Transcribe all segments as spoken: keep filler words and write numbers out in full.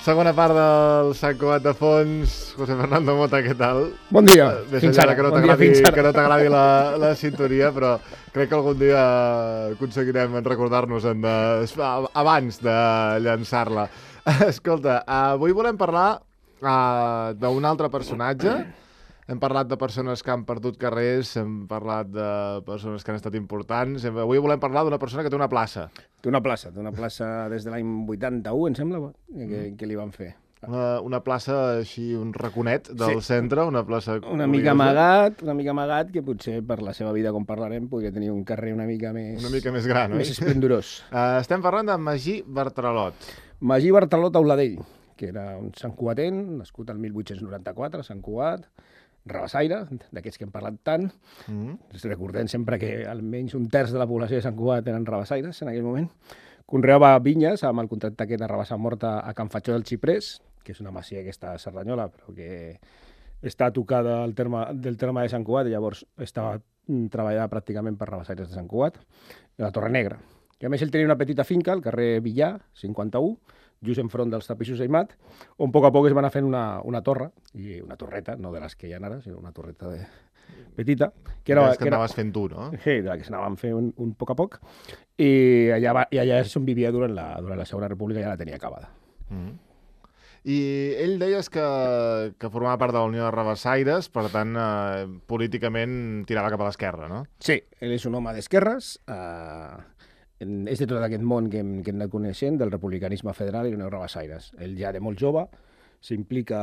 Segona part del Sant Cugat de Fons. José Fernando Mota, què tal? Bon dia. Més enllà de que no t'agradi que no t'agradi la, la sintonia, però crec que algun dia aconseguirem recordar-nos-en de, abans de llançar-la. Escolta, avui volem parlar uh, d'un altre personatge. Hem parlat de persones que han perdut carrers, hem parlat de persones que han estat importants. Avui volem parlar d'una persona que té una plaça. Té una plaça, té una plaça des de l'any vuitanta-u, em sembla, que, que li van fer. Una, una plaça així, un raconet del sí. centre, una plaça una mica amagat, una mica amagat, que potser per la seva vida, com parlarem, podria tenir un carrer una mica més... Una mica més gran, més esplendorós. Uh, estem parlant de Magí Bartralot. Magí Bartralot Auladell, que era un santcugatent, nascut el mil vuit-cents noranta-quatre, a Sant Cugat, rabassaire, d'aquests que hem parlat tant. Mm-hmm. Recordem sempre que almenys un terç de la població de Sant Cugat eren rabassaires en aquell moment. Conreava vinyes amb el contracte aquest de rabassar morta a Can Fatxó del Xiprés, que és una masia que està a Cerdanyola, però que està tocada al terme, del terme de Sant Cugat, i llavors estava treballada pràcticament per rabassaires de Sant Cugat, a la Torre Negra. I a més ell tenia una petita finca al carrer Villar, cinquanta-u, just enfront dels tapissos Aimat, on a poc a poc es van anar fent una, una torre, i una torreta, no de les que hi ha ara, sinó una torreta de... petita. Que era, que, que anaves fent tu, no? Sí, de la que s'anaven fent un, un poc a poc, i allà, va, i allà és on vivia durant la, durant la Segona República, ja la tenia acabada. Mm-hmm. I ell deies que, que formava part de la Unió de Rabassaires, per tant, eh, políticament tirava cap a l'esquerra, no? Sí, ell és un home d'esquerres, eh, és de tot aquest món que hem, que hem anat coneixent, del republicanisme federal i Unió de Rabassaires. Ell ja de molt jove s'implica,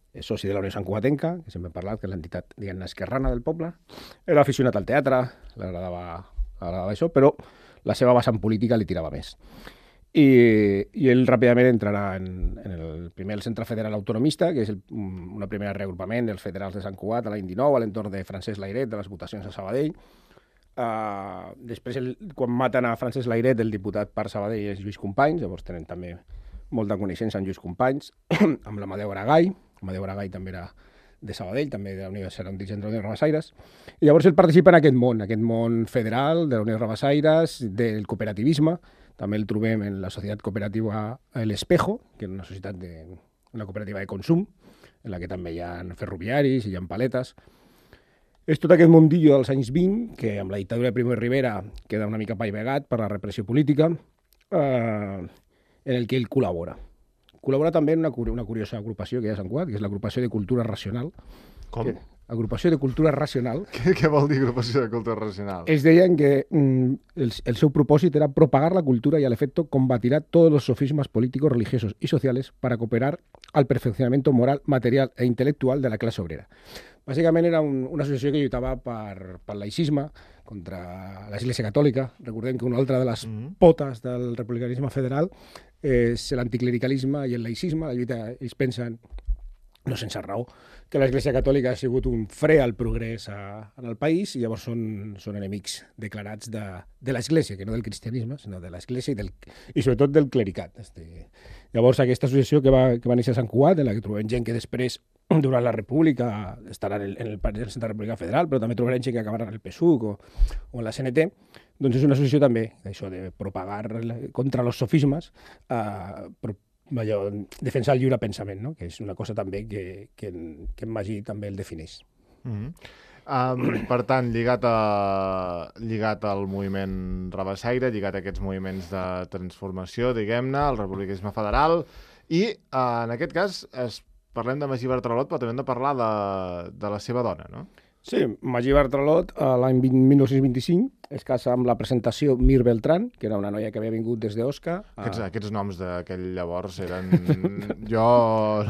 és soci de la Unió Santcugatenca, que sempre hem parlat, que és l'entitat, diguem-ne, esquerrana del poble. Era aficionat al teatre, l'agradava agradava això, però la seva vessant política li tirava més. I, i ell ràpidament entrarà en, en el primer el Centre Federal Autonomista, que és el, una primera reagrupament dels federals de Sant Cugat a l'any dinou, a l'entorn de Francesc Layret, de les votacions a Sabadell. Uh, després, el, quan maten a Francesc Layret, el diputat per Sabadell és Lluís Companys, llavors tenen també molta coneixença amb Lluís Companys, amb l'Amadeu Aragall. Amadeu Aragall també era de Sabadell, també de la Unió, era un dirigent de la Unió de Rabassaires, i llavors ell participa en aquest món, aquest món federal de la Unió de Rabassaires, del cooperativisme. També el trobem en la societat cooperativa El Espejo, que és una societat de, una cooperativa de consum, en la que també hi ha ferroviaris i hi ha paletes. És tot aquest mundillo dels anys vint, que amb la dictadura de Primo de Rivera queda una mica paivegat per la repressió política, eh, en el que ell col·labora. Col·labora també en una, una curiosa agrupació que hi ha a Sant Cugat, que és l'Agrupació de Cultura Racional. Com? Que, agrupació de Cultura Racional. Què, què vol dir Agrupació de Cultura Racional? Ells deien que mm, el, el seu propòsit era propagar la cultura y al efecto combatirá todos los sofismas políticos, religiosos y sociales para cooperar al perfeccionamiento moral, material e intelectual de la classe obrera. Bàsicament era un, una associació que lluitava per, per laïcisme, contra l'Església Catòlica. Recordem que una altra de les mm-hmm. potes del republicanisme federal és l'anticlericalisme i el laïcisme. La lluita, ells pensen, no sense raó, que l'Església Catòlica ha sigut un fre al progrés a, en el país, i llavors són, són enemics declarats de, de l'Església, que no del cristianisme, sinó de l'Església i, del, i sobretot del clericat. Este. Llavors aquesta associació que va, que va néixer a Sant Cugat, en la que trobem gent que després, durant la República, estarà en el, en el Partit de la República Federal, però també trobarem gent que acabarà en el P S U C o, o en la C N T, doncs és una associació també d'això de propagar contra els sofismes, eh, però allò, defensar el lliure pensament, no? Que és una cosa també que, que, en, que en Magí també el defineix. Mm-hmm. um, per tant, lligat, a, lligat al moviment rabassaire, lligat a aquests moviments de transformació, diguem-ne, el republicanisme federal, i uh, en aquest cas es, parlem de Magí Bartralot, però també hem de parlar de, de la seva dona, no? Sí, Magí Bartralot, l'any mil nou-cents vint-i-cinc, es casa amb la presentació Mir Beltrán, que era una noia que havia vingut des d'Osca. Aquests, a... aquests noms d'aquell llavors eren... jo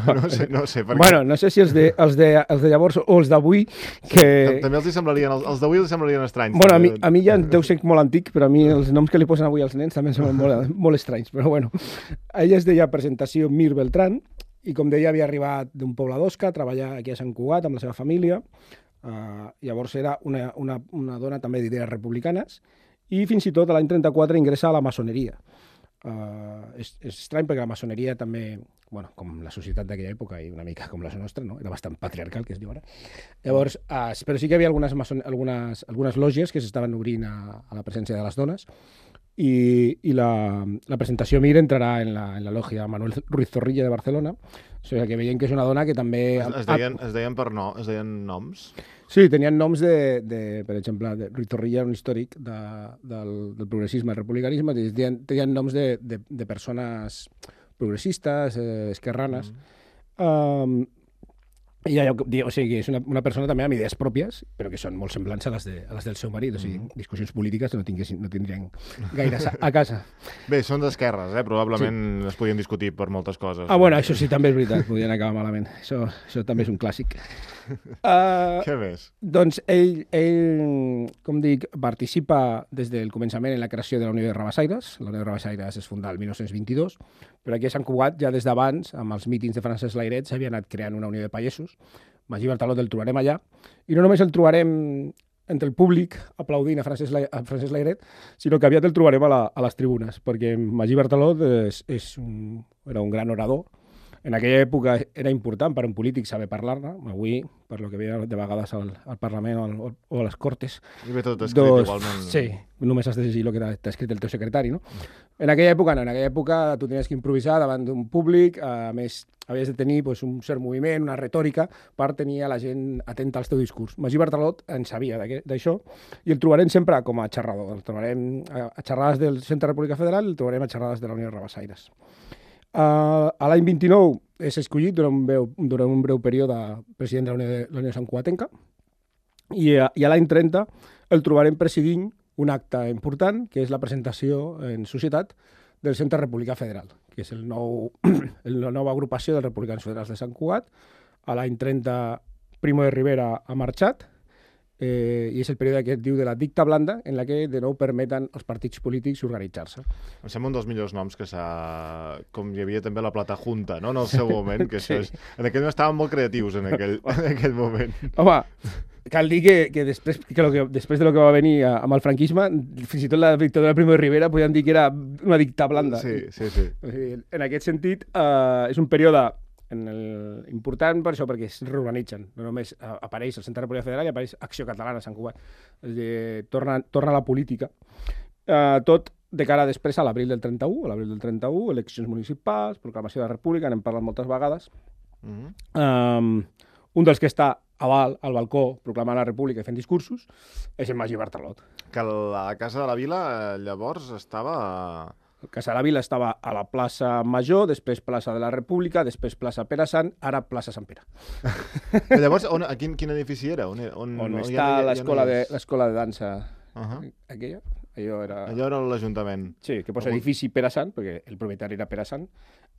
no sé, no sé per bueno, què. No sé si els de, els de, els de llavors o els d'avui, que... També els hi semblarien, els, els d'avui els semblarien estranys. Bueno, a mi, a mi ja deu ser molt antic, però a mi els noms que li posen avui als nens també semblen molt, molt estranys. Però bueno, ella es deia presentació Mir Beltrán, i com deia havia arribat d'un poble d'Osca, a treballar aquí a Sant Cugat amb la seva família. Uh, llavors era una, una, una dona també d'idees republicanes, i fins i tot l'any trenta-quatre ingressa a la maçoneria. Uh, és, és estrany perquè la maçoneria també, bueno, com la societat d'aquella època i una mica com la nostra, no? Era bastant patriarcal, que es diu ara. Llavors, uh, però sí que hi havia algunes, maçon... algunes, algunes lògies que s'estaven obrint a, a la presència de les dones, i, i la, la presentació Mir entrarà en la, en la lògia Manuel Ruiz Zorrilla de Barcelona, o sigui que veiem que és una dona que també... Es, es, deien, es deien per no, es deien noms? Sí, tenien noms de, de per exemple, de Ruiz Zorrilla era un històric de, del, del progressisme, del republicanisme, tenien, tenien noms de, de, de persones progressistes, eh, esquerranes. Mm. Um, I allò, o sigui, és una, una persona també amb idees pròpies, però que són molt semblants a les, de, a les del seu marit, o sigui, mm. discussions polítiques no, no tindrien gaire a casa. Bé, són d'esquerres, eh? Probablement sí. Es podien discutir per moltes coses. Ah, bueno, això sí, també és veritat, podien acabar malament. Això, això també és un clàssic. Uh, Què més? Doncs ell, ell, com dic, participa des del començament en la creació de la Unió de Rabassaires. La Unió de Rabassaires es fundà el mil nou-cents vint-i-dos, però aquí a Sant Cugat, ja des d'abans, amb els mítings de Francesc Layret, s'havia anat creant una unió de pagesos. Magí Bartalot el trobarem allà, i no només el trobarem entre el públic aplaudint a Francesc, La, a Francesc Layret, sinó que aviat el trobarem a, la, a les tribunes, perquè Magí Bartalot és, és un, era un gran orador. En aquella època era important per a un polític saber parlar-ne. Avui, per lo que veia de vegades al, al Parlament o, al, o a les Cortes... I ve tot escrit doncs, igualment. Sí, només has de llegir el que t'ha escrit el teu secretari, no? En aquella època no, en aquella època tu tenies que improvisar davant d'un públic, a més havies de tenir pues, un cert moviment, una retòrica, per tenir a la gent atenta al teu discurs. Magí Bartalot en sabia d'això, i el trobarem sempre com a xerrador. El trobarem a xerrades del Centre República Federal, el trobarem a xerrades de la Unió de Rabassaires. Uh, a l'any vint-i-nou és escollit durant un, breu, durant un breu període president de la Unió, de, la Unió Santcugatenca, i, uh, i a l'any trenta el trobarem presidint un acte important, que és la presentació en societat del Centre República Federal, que és el nou, el, la nova agrupació dels republicans federals de Sant Cugat. A l'any trenta Primo de Rivera ha marxat, Eh, i és el període que es diu de la dicta blanda, en la que de nou permeten als partits polítics organitzar-se. Em sembla un dels millors noms que s'ha... Com hi havia també la Plata Junta, no?, en el seu moment, que sí. Això és... En aquell moment estaven molt creatius, en aquell, en aquell moment. Home, cal dir que, que, després, que, lo que després de lo que va venir amb el franquisme, fins i tot la dictadura de Primo de Rivera podien dir que era una dicta blanda. Sí, sí, sí. O sigui, en aquest sentit, eh, és un període en el, important per això, perquè es reorganitzen. No només apareix el Centre República Federal i apareix Acció Catalana a Sant Cugat. És dir, torna, torna a la política. Eh, tot de cara després a l'abril del trenta-u, a l'abril del trenta-u, eleccions municipals, proclamació de la República, n'hem parlat moltes vegades. Mm-hmm. eh, un dels que està a Val, al balcó, proclamant la República i fent discursos, és el Magí Bartalot. Que la Casa de la Vila llavors estava... Casa de la Vila estava a la plaça Major, després plaça de la República, després plaça Pere Sant, ara plaça Sant Pere. Llavors, on, a quin, quin edifici era? On, on, on està ja, l'escola ja no de, l'escola de dansa uh -huh. aquella? Allò era... Allò era l'Ajuntament. Sí, que posa edifici Pere Sant, perquè el propietari era Pere Sant.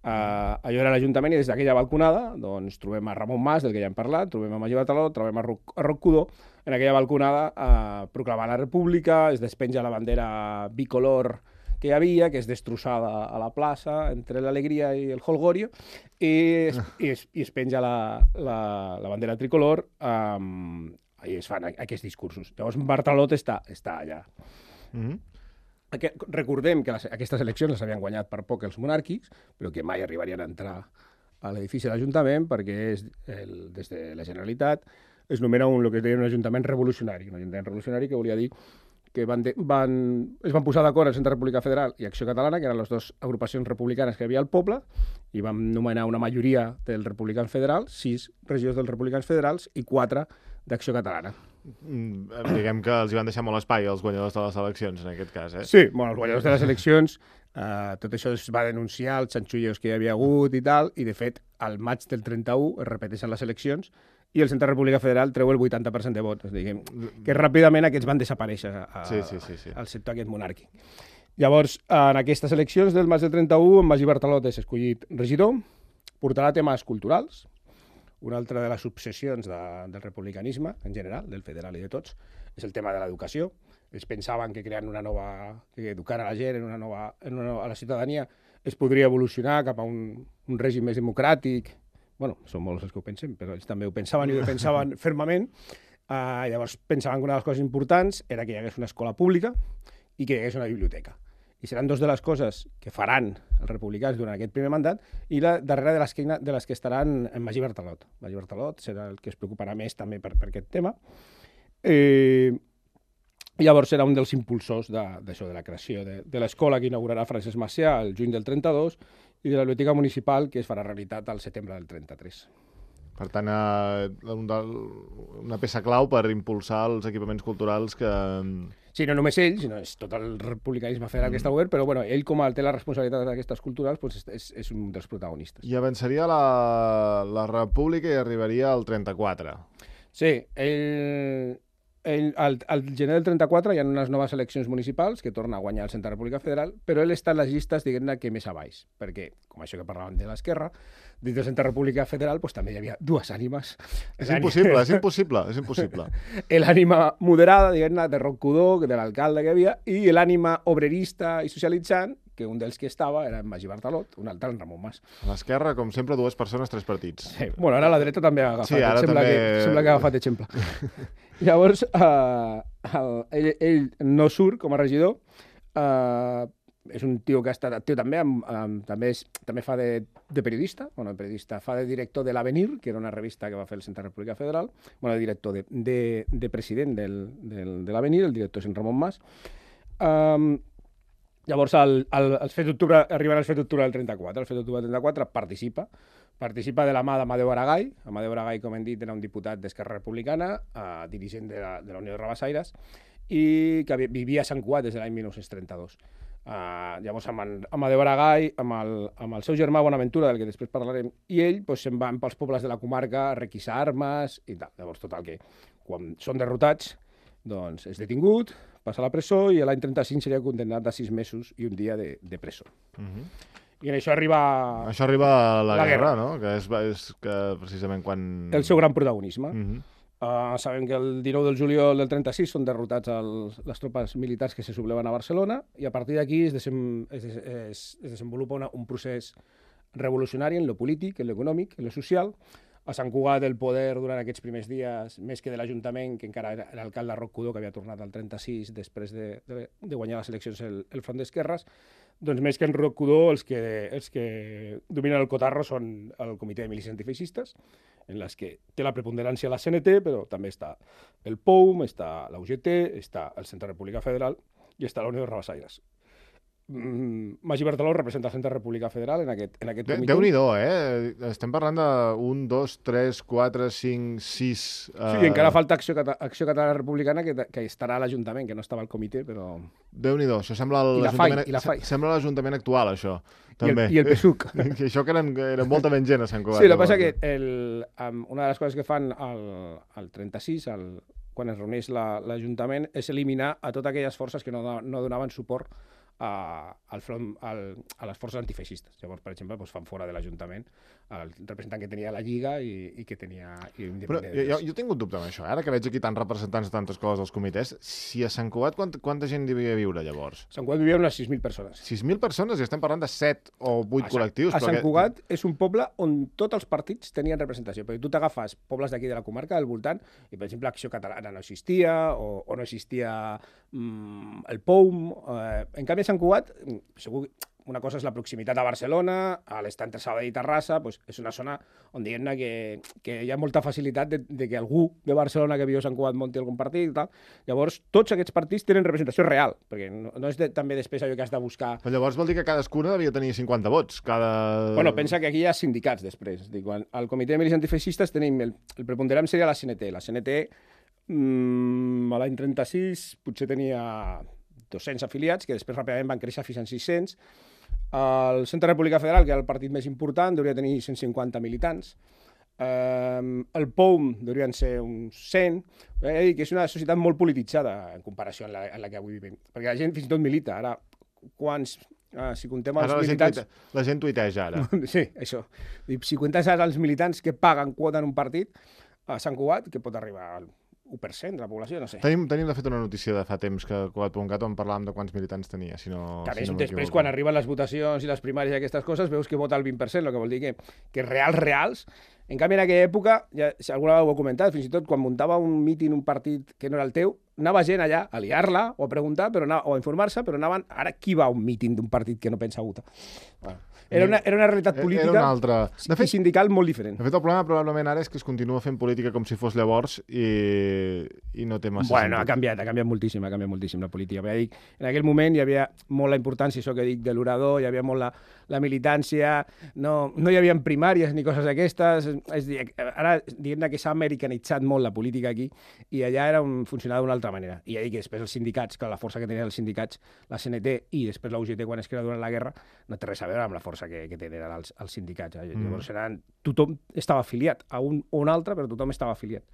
Uh, allò era l'Ajuntament, i des d'aquella balconada doncs, trobem a Ramon Mas, del que ja hem parlat, trobem a Magí Bartalot, trobem a Roc, a Roc Cudó, en aquella balconada uh, proclamant la República, es despenja la bandera bicolor que hi havia, que és destrossada a la plaça, entre l'alegria i el holgorio, i es, i es, i es penja la, la, la bandera tricolor, um, i es fan aquests discursos. Llavors, Bartalot està, està allà. Mm-hmm. Aquest, recordem que les, aquestes eleccions les havien guanyat per poc els monàrquics, però que mai arribarien a entrar a l'edifici de l'Ajuntament, perquè és el, des de la Generalitat es nomena un, el que es deia un Ajuntament revolucionari, un Ajuntament revolucionari que volia dir que van de, van, es van posar d'acord el Centre República Federal i Acció Catalana, que eren les dues agrupacions republicanes que hi havia al poble, i van nomenar una majoria dels republicans federals, sis regidors dels republicans federals i quatre d'Acció Catalana. Mm, diguem que els hi van deixar molt espai als guanyadors de les eleccions, en aquest cas, eh? Sí, bueno, els guanyadors de les eleccions, eh, tot això es va denunciar, els xanxullos que hi havia hagut i tal, i de fet, al maig del trenta-u es repeteixen les eleccions i el Centre República Federal treu el vuitanta per cent de vots. Diguem, que ràpidament aquests van desaparèixer a, sí, sí, sí, sí. al sector aquest monàrquic. Llavors, en aquestes eleccions del maig del trenta-u, en Magí Bartalot és escollit regidor, portarà temes culturals, una altra de les obsessions de, del republicanisme, en general, del federal i de tots, és el tema de l'educació. Ells pensaven que creant una nova... que educar a la gent en una nova, en una nova, a la ciutadania es podria evolucionar cap a un, un règim més democràtic. Bueno, són molts els que ho pensen, però ells també ho pensaven i ho pensaven fermament. Uh, llavors pensaven que una de les coses importants era que hi hagués una escola pública i que hi hagués una biblioteca. I seran dos de les coses que faran els republicans durant aquest primer mandat, i la darrera de les que, de les que estaran en Magí Bartalot. Magí Bartalot serà el que es preocuparà més també per, per aquest tema. Eh, I llavors era un dels impulsors d'això, de, de la creació de, de l'escola que inaugurarà Francesc Macià el juny del trenta-dos i de la biblioteca municipal que es farà realitat al setembre del trenta-tres. Per tant, eh, un del, una peça clau per impulsar els equipaments culturals que... Sí, no només ell, sinó és tot el republicanisme federal mm. que està obert, però bueno, ell com a té la responsabilitat d'aquestes culturals doncs és, és un dels protagonistes. I avançaria la, la república i arribaria al trenta-quatre. Sí, ell... Ell, al, al gener del trenta-quatre hi ha unes noves eleccions municipals que torna a guanyar el Centre República Federal, però ell està en les llistes, diguem-ne, que més a baix, perquè, com això que parlàvem de l'esquerra, dins del Centre República Federal pues, també hi havia dues ànimes. És impossible, és impossible, és impossible. L'ànima moderada, diguem-ne, de Roc Cudó, de l'alcalde que hi havia, i l'ànima obrerista i socialitzant, que un dels que estava era en Magí Bartalot, un altre en Ramon Mas. A l'esquerra, com sempre, dues persones, tres partits. Sí. Bueno, ara la dreta també ha agafat. Sí, ara sembla també... Que, sembla que ha agafat exemple. Llavors, uh, el, ell, ell no surt com a regidor, uh, és un tio que ha estat actiu també, amb, amb, també, és, també fa de, de periodista, bueno, periodista, fa de director de l'Avenir, que era una revista que va fer el Centre República Federal, bueno, director de, de, de president del, del, de l'Avenir, el director és en Ramon Mas. Um, Llavors, el, el, el fet d'octubre, arriben al fet d'octubre del trenta-quatre. El fet d'octubre del trenta-quatre participa, participa de la mà d'Amadeu Aragall. Amadeu Aragall, com hem dit, era un diputat d'Esquerra Republicana, eh, dirigent de la, de la Unió de Rabassaires, i que vivia a Sant Cugat des de l'any dinou trenta-dos. Eh, llavors, amb en, Amadeu Aragall, amb el, amb el seu germà Bonaventura, del que després parlarem, i ell pues, se'n van pels pobles de la comarca a requisar armes i tal. Llavors, total, que quan són derrotats, doncs és detingut, passa a la presó i l'any trenta-cinc seria condemnat a sis mesos i un dia de, de presó. Uh -huh. I en això arriba... Això arriba a la, la guerra, guerra, no? Que és, és que precisament quan... El seu gran protagonisme. Uh -huh. uh, sabem que el dinou del juliol del trenta-sis són derrotats els, les tropes militars que se subleven a Barcelona i a partir d'aquí es, desem, es, es, es desenvolupa una, un procés revolucionari en lo polític, en lo econòmic, en lo social. A Sant Cugat el poder durant aquests primers dies, més que de l'Ajuntament, que encara era l'alcalde Roc Cudó, que havia tornat al trenta-sis després de, de, de guanyar les eleccions el, el Front d'Esquerres, doncs més que en Roc Cudó, els que, els que dominen el cotarro són el Comitè de Milícies Antifeixistes, en les que té la preponderància la C N T, però també està el P O U M, està la U G T, està el Centre República Federal i està la Unió de Rabassaires. Mm, Magí Bartaló representa el Centre República Federal en aquest, en aquest comitè. Déu-n'hi-do, eh? Estem parlant de un, dos, tres, quatre, cinc, sis... Uh... Sí, encara falta Acció, Cata Acció Catalana Republicana, que, que estarà a l'Ajuntament, que no estava al comitè, però... Déu-n'hi-do, això sembla l'Ajuntament sembla l'Ajuntament actual, això. També. I el, i el P S U C. I això que eren, era molta menys gent a Sant Cugat. Sí, el que passa que el, um, una de les coses que fan al, al trenta-sis, al, quan es reuneix l'Ajuntament, la, és eliminar a totes aquelles forces que no, no donaven suport A, al front, al, a les forces antifeixistes. Llavors, per exemple, doncs fan fora de l'Ajuntament el representant que tenia la Lliga i, i que tenia... I Però jo, jo tinc un dubte amb això, ara que veig aquí tants representants de tantes coses als comitès, si a Sant Cugat quant, quanta gent devia viure llavors? A Sant Cugat vivien unes sis mil persones. sis mil persones i estem parlant de set o vuit col·lectius. A Sant que... Cugat és un poble on tots els partits tenien representació, perquè tu t'agafes pobles d'aquí de la comarca, del voltant, i per exemple Acció Catalana no existia, o, o no existia mm, el P O U M. Eh, en canvi, a Sant Cugat, segur una cosa és la proximitat a Barcelona, a l'estat entre Sabadell i Terrassa, doncs és una zona on diguem-ne que, que hi ha molta facilitat de, de que algú de Barcelona que viu a Sant Cugat munti algun partit i tal. Llavors, tots aquests partits tenen representació real, perquè no, no és de, també després allò que has de buscar... Però llavors vol dir que cadascuna devia tenir cinquanta vots, cada... Bueno, pensa que aquí hi ha sindicats després. Dic, quan al Comitè de Milícies Antifeixistes tenim... El, el preponderant seria la C N T. La C N T, mmm, a l'any trenta-sis, potser tenia dos-cents afiliats, que després ràpidament van créixer fins a sis-cents. El Centre República Federal, que era el partit més important, hauria tenir cent cinquanta militants. Um, el P O U M haurien ser uns cent. He de dir que és una societat molt polititzada en comparació amb la, amb la que avui vivim. Perquè la gent fins i tot milita. Ara, quants... Ah, si contem els ara la militants... Gent tuite... La gent tuiteja, ara. Sí, això. Si contem ara els militants que paguen quota en un partit, a Sant Cugat, que pot arribar al u per cent de la població, no sé. Tenim, tenim de fet una notícia de fa temps que Cugat punt cat on parlàvem de quants militants tenia, si no... També si no després, quan arriben les votacions i les primàries i aquestes coses, veus que vota el vint per cent, el que vol dir que, que reals, reals, En canvi, en aquella època, ja, si alguna vegada ho he comentat, fins i tot quan muntava un míting, un partit que no era el teu, anava gent allà a liar-la o a preguntar però anava, o a informar-se, però anaven... Ara, qui va a un míting d'un partit que no pensa a votar? Bueno, era, una, era una realitat política era una altra... de fet, i sindical molt diferent. De fet, el problema probablement ara és que es continua fent política com si fos llavors i, i no té massa bueno, sentit. ha canviat, ha canviat moltíssim, ha canviat moltíssim la política. Ja dic, en aquell moment hi havia molt la importància, això que dic, de l'orador, hi havia molt la, la militància, no, no hi havia primàries ni coses d'aquestes. És dir, ara, diguem que s'ha americanitzat molt la política aquí i allà era un, funcionava d'una altra manera. I ja dic que després els sindicats, que la força que tenien els sindicats, la C N T i després la U G T quan es crea durant la guerra, no té res a veure amb la força que, que tenen els, els sindicats. Eh? Mm. Llavors eren, tothom estava afiliat a un o un altre, però tothom estava afiliat.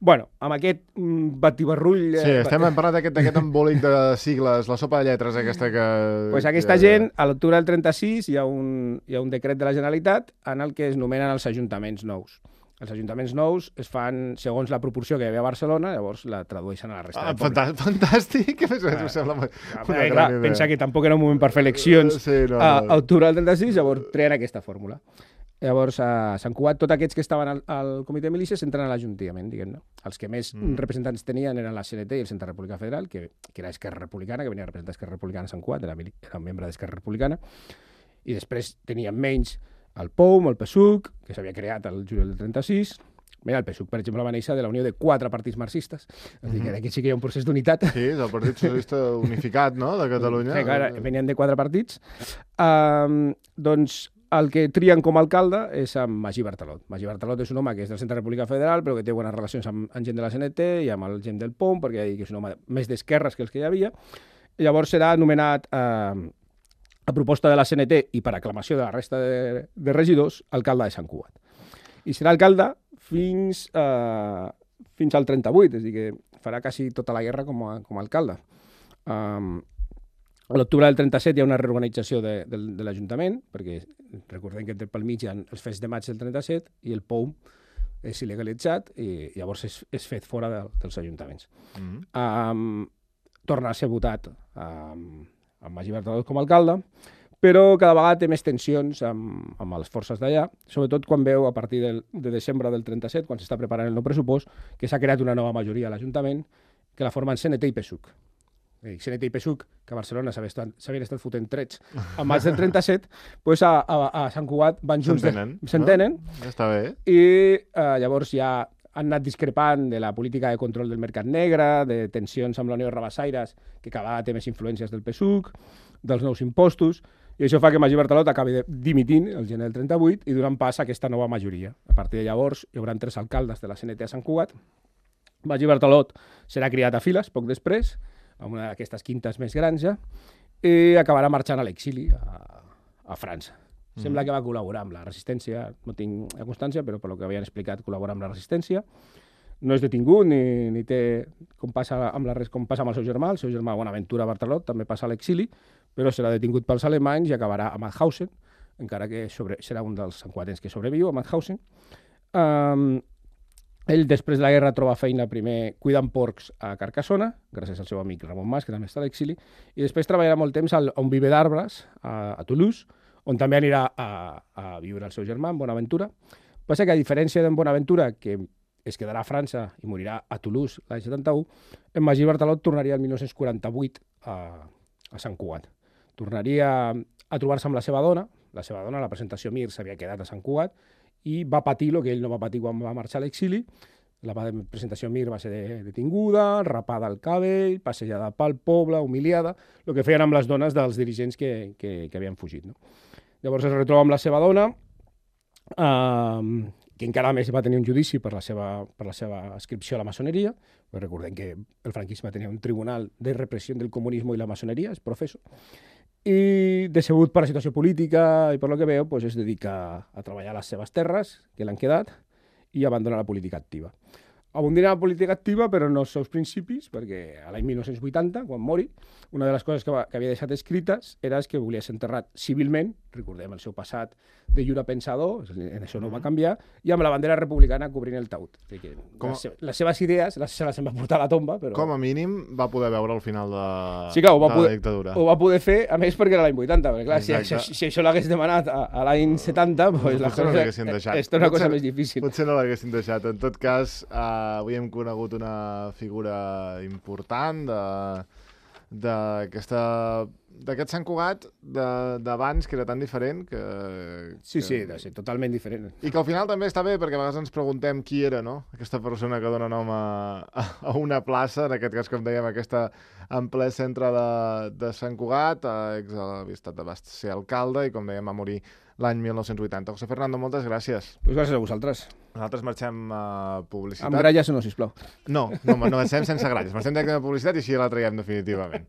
Bueno, amb aquest mm, batibarrull... Sí, eh, estem parlant d'aquest embolic de sigles, la sopa de lletres aquesta que... Pues aquesta que... gent, a l'octubre del trenta-sis, hi ha, un, hi ha un decret de la Generalitat en el que es nomenen els ajuntaments nous. Els ajuntaments nous es fan segons la proporció que hi havia a Barcelona, llavors la tradueixen a la resta ah, de pobles. Fantàstic! A més, ah, sembla una ah, gran clar, idea. Pensa que tampoc era un moment per fer eleccions. Uh, sí, no, no. A octubre del trenta-sis, llavors treen aquesta fórmula. Llavors, a Sant Cugat, tots aquests que estaven al, al comitè de milícies entren a l'Ajuntament, diguem-ne. Els que més mm. representants tenien eren la C N T i el Centre Republicà Federal, que, que era Esquerra Republicana, que venia a representar Esquerra Republicana a Sant Cugat, era, era un membre d'Esquerra Republicana, i després tenien menys el P O M, el P S U C, que s'havia creat el juliol del trenta-sis. Mira, el P S U C, per exemple, va néixer de la unió de quatre partits marxistes. És a dir, que aquí sí que hi ha un procés d'unitat. Sí, és el Partit Socialista Unificat, no?, de Catalunya. Sí, clar, venien de quatre partits. Um, doncs el que trien com a alcalde és amb Magí Bartalot. Magí Bartalot és un home que és del Centre Republicà Federal, però que té bones relacions amb, amb gent de la C N T i amb el gent del P O M, perquè és un home més d'esquerres que els que hi havia. I llavors serà nomenat eh, a proposta de la C N T i per aclamació de la resta de, de regidors, alcalde de Sant Cugat. I serà alcalde fins, eh, fins al trenta-vuit, és a dir, que farà quasi tota la guerra com a, com a alcalde. Um, a l'octubre del trenta-set hi ha una reorganització de, de, de l'Ajuntament, perquè recordem que pel mig hi ha els fets de maig del trenta-set i el P O M és il·legalitzat i llavors és, és fet fora de, dels ajuntaments. Mm-hmm. um, torna a ser votat um, amb Magí Bartalot com a alcalde, però cada vegada té més tensions amb, amb les forces d'allà, sobretot quan veu a partir del, de desembre del trenta-set, quan s'està preparant el nou pressupost, que s'ha creat una nova majoria a l'Ajuntament, que la formen C N T i P S U C. C N T i P S U C, que a Barcelona s'havien estat, estat fotent trets a maig del trenta-set, doncs a, a, a Sant Cugat van junts... S'entenen. S'entenen. No? Està bé. I eh, llavors ja han anat discrepant de la política de control del mercat negre, de tensions amb la Unió de Rabassaires, que cada vegada té més influències del P S U C, dels nous impostos, i això fa que Magí Bartalot acabi dimitint el gener del trenta-vuit i donant pas a aquesta nova majoria. A partir de llavors hi haurà tres alcaldes de la C N T a Sant Cugat. Magí Bartalot serà criat a files poc després, amb una d'aquestes quintes més grans ja, i acabarà marxant a l'exili a, a França. Mm. Sembla que va col·laborar amb la resistència, no tinc la constància, però per lo que havien explicat, col·labora amb la resistència. No és detingut ni, ni té, com passa, amb la, com passa amb el seu germà, el seu germà Bonaventura Bartalot també passa a l'exili, però serà detingut pels alemanys i acabarà a Mauthausen, encara que sobre, serà un dels santcuatens que sobreviu a Mauthausen. Um, ell, després de la guerra, troba feina primer cuidant porcs a Carcassona, gràcies al seu amic Ramon Mas, que també està a l'exili, i després treballarà molt temps al, a un viver d'arbres, a, a Toulouse, on també anirà a, a viure el seu germà, en Bonaventura. Passa que, a diferència d'en Bonaventura, que es quedarà a França i morirà a Toulouse l'any setanta-u, en Magí Bartalot tornaria el dinou quaranta-vuit a, a Sant Cugat. Tornaria a trobar-se amb la seva dona, la seva dona, la presentació Mir, s'havia quedat a Sant Cugat, i va patir el que ell no va patir quan va marxar a l'exili. La presentació Mir va ser detinguda, rapada al cabell, passejada pel poble, humiliada, el que feien amb les dones dels dirigents que, que, que havien fugit. No? Llavors es retroba amb la seva dona, eh, que encara més va tenir un judici per la seva, per la seva adscripció a la maçoneria. Recordem que el franquisme tenia un tribunal de repressió del comunisme i la maçoneria, és professor. I, decebut per la situació política i per lo que veu, pues, es dedica a treballar a les seves terres, que l'han quedat, i abandona la política activa. abundant en la política activa, però no els seus principis, perquè a l'any mil nou-cents vuitanta, quan mori, una de les coses que, va, que havia deixat escrites era que volia ser enterrat civilment, recordem el seu passat de lliure pensador, en això no va canviar, i amb la bandera republicana cobrint el taüt. Com... Les, seves, les seves idees les, se les em va portar a la tomba, però... Com a mínim va poder veure al final de, sí, clar, de poder, la dictadura. Ho va poder fer, a més, perquè era l'any vuitanta, perquè clar, si, si, si això l'hagués demanat a, a l'any setanta, pues, la cosa, no l'haguessin deixat. És una cosa més difícil. Potser no l'haguessin deixat. En tot cas, eh, avui hem conegut una figura important de... d'aquest Sant Cugat d'abans, que era tan diferent que, sí, que... sí, de ser totalment diferent. I que al final també està bé, perquè a vegades ens preguntem qui era, no? Aquesta persona que dona nom a, a una plaça, en aquest cas, com dèiem, aquesta en ple centre de, de Sant Cugat, ex havia estat de Bast ser alcalde i, com dèiem, va morir l'any mil nou-cents vuitanta. José Fernando, moltes gràcies. Pues gràcies a vosaltres. Nosaltres marxem a publicitat. Amb gralles o no, sisplau. No, no, no marxem sense gralles. Marxem directament a publicitat i així ja la traiem definitivament.